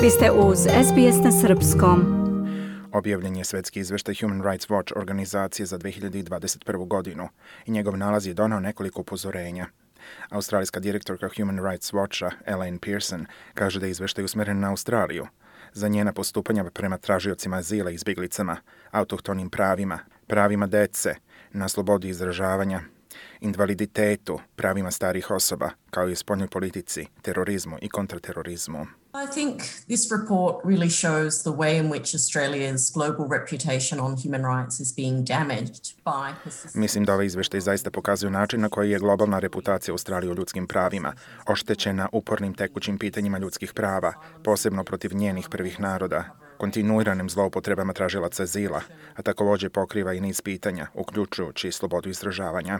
Vi ste uz SBS na srpskom. Objavljen je svetski izveštaj Human Rights Watch organizacije za 2021. godinu i njegov nalaz je donao nekoliko upozorenja. Australijska direktorka Human Rights Watcha, Elaine Pearson, kaže da je izveštaj usmeren na Australiju. Za njena postupanja prema tražiocima azila i izbjeglicama, autohtonim pravima, pravima dece, na slobodu izražavanja, invaliditetu, pravima starih osoba, kao i spoljnoj politici, terorizmu i kontraterorizmu. I think this report really shows the way in which Australia's global reputation on human rights is being damaged by persistent... Mislim da ovaj izveštaj zaista pokazuje način na koji je globalna reputacija Australije u ljudskim pravima oštećena upornim tekućim pitanjima ljudskih prava, posebno protiv njenih prvih naroda, kontinuiranim zloupotrebama tražilaca azila, a također pokriva i niz pitanja, uključujući slobodu izražavanja.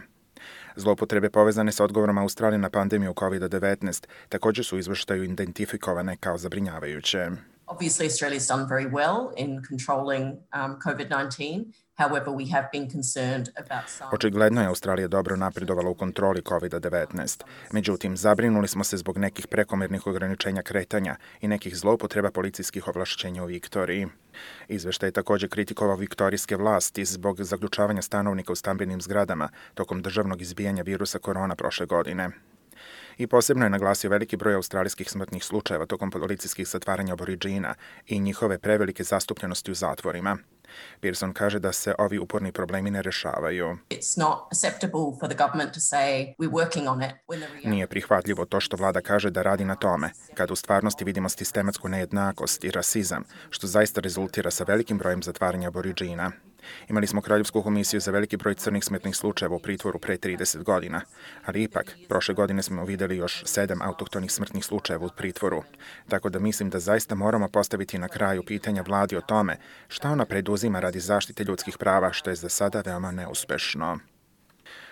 Zloupotrebe povezane sa odgovorom Australije na pandemiju COVID-19 također su u izveštaju identifikovane kao zabrinjavajuće. Obviously, Australia's done very well in controlling COVID-19. However, we have been concerned about some... Očigledno je Australija dobro napredovala u kontroli COVID-19. Međutim, zabrinuli smo se zbog nekih prekomjernih ograničenja kretanja i nekih zloupotreba policijskih ovlašćenja u Viktoriji. Izveštaj je također kritikovao viktorijske vlasti zbog zaključavanja stanovnika u stambenim zgradama tokom državnog izbijanja virusa korona prošle godine. I posebno je naglasio veliki broj australijskih smrtnih slučajeva tokom policijskih zatvaranja Aboridžina i njihove prevelike zastupljenosti u zatvorima. Pearson kaže da se ovi uporni problemi ne rešavaju. Nije prihvatljivo to što vlada kaže da radi na tome, kad u stvarnosti vidimo sistematsku nejednakost i rasizam, što zaista rezultira sa velikim brojem zatvaranja Aboridžina. Imali smo Kraljevsku komisiju za veliki broj crnih smrtnih slučajeva u pritvoru pre 30 godina, ali ipak, prošle godine smo vidjeli još 7 autohtonih smrtnih slučajeva u pritvoru. Tako da mislim da zaista moramo postaviti na kraju pitanja vladi o tome šta ona preduzima radi zaštite ljudskih prava, što je za sada veoma neuspešno.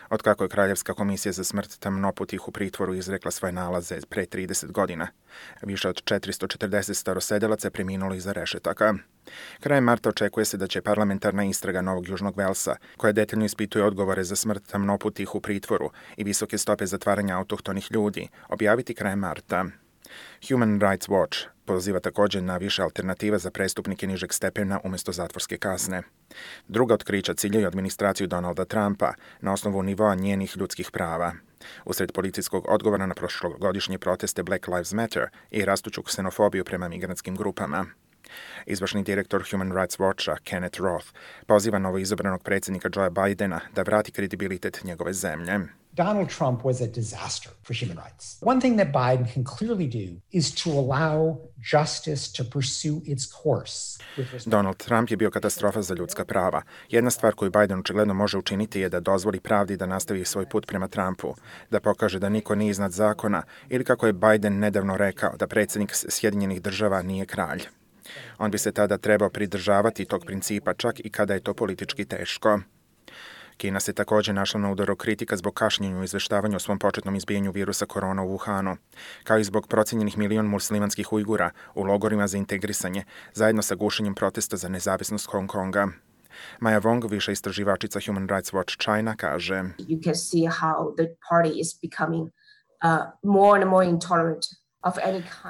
Otkako je Kraljevska komisija za smrt tamnoputih u pritvoru izrekla svoje nalaze pre 30 godina, više od 440 starosedelaca je preminulo iza rešetaka. Krajem marta očekuje se da će parlamentarna istraga Novog Južnog Velsa, koja detaljno ispituje odgovore za smrt tamnoputih u pritvoru i visoke stope zatvaranja autohtonih ljudi, objaviti krajem marta. Human Rights Watch poziva također na više alternativa za prestupnike nižeg stepena umjesto zatvorske kazne. Druga otkrića ciljaju administraciju Donalda Trumpa na osnovu nivoa njenih ljudskih prava. Usred policijskog odgovora na prošlogodišnje proteste Black Lives Matter i rastuću ksenofobiju prema migrantskim grupama. Izvršni direktor Human Rights Watcha, Kenneth Roth, poziva novoizabranog predsjednika Joea Bidena da vrati kredibilitet njegove zemlje. Donald Trump was a disaster for human rights. One thing that Biden can clearly do is to allow justice to pursue its course. Donald Trump je bio katastrofa za ljudska prava. Jedna stvar koju Biden očigledno može učiniti je da dozvoli pravdi da nastavi svoj put prema Trumpu, da pokaže da niko nije iznad zakona ili kako je Biden nedavno rekao da predsjednik Sjedinjenih država nije kralj. On bi se tada trebao pridržavati tog principa čak i kada je to politički teško. Kina se također našla na udaru kritika zbog kašnjenja u izveštavanju o svom početnom izbijanju virusa korona u Wuhanu, kao i zbog procijenjenih 1 milion muslimanskih Ujgura u logorima za integrisanje, zajedno sa gušenjem protesta za nezavisnost Hong Konga. Maja Wong, viša istraživačica Human Rights Watch China, kaže: You can see how the party is becoming more and more intolerant.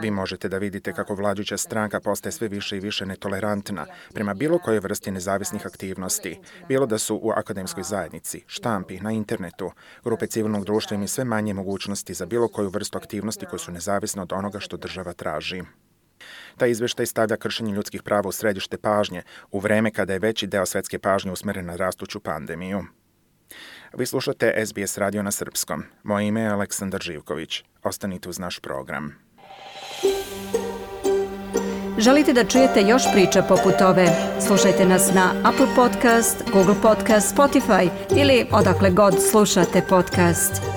Vi možete da vidite kako vladajuća stranka postaje sve više i više netolerantna prema bilo kojoj vrsti nezavisnih aktivnosti, bilo da su u akademskoj zajednici, štampi, na internetu, grupe civilnog društva imaju sve manje mogućnosti za bilo koju vrstu aktivnosti koje su nezavisne od onoga što država traži. Taj izveštaj stavlja kršenje ljudskih prava u središte pažnje u vreme kada je veći deo svetske pažnje usmeren na rastuću pandemiju. Vi slušate SBS radio na srpskom. Moje ime je Aleksandar Živković. Ostanite uz naš program. Želite da čujete još priča poput ove? Slušajte nas na Apple Podcast, Google Podcast, Spotify ili odakle god slušate podcast.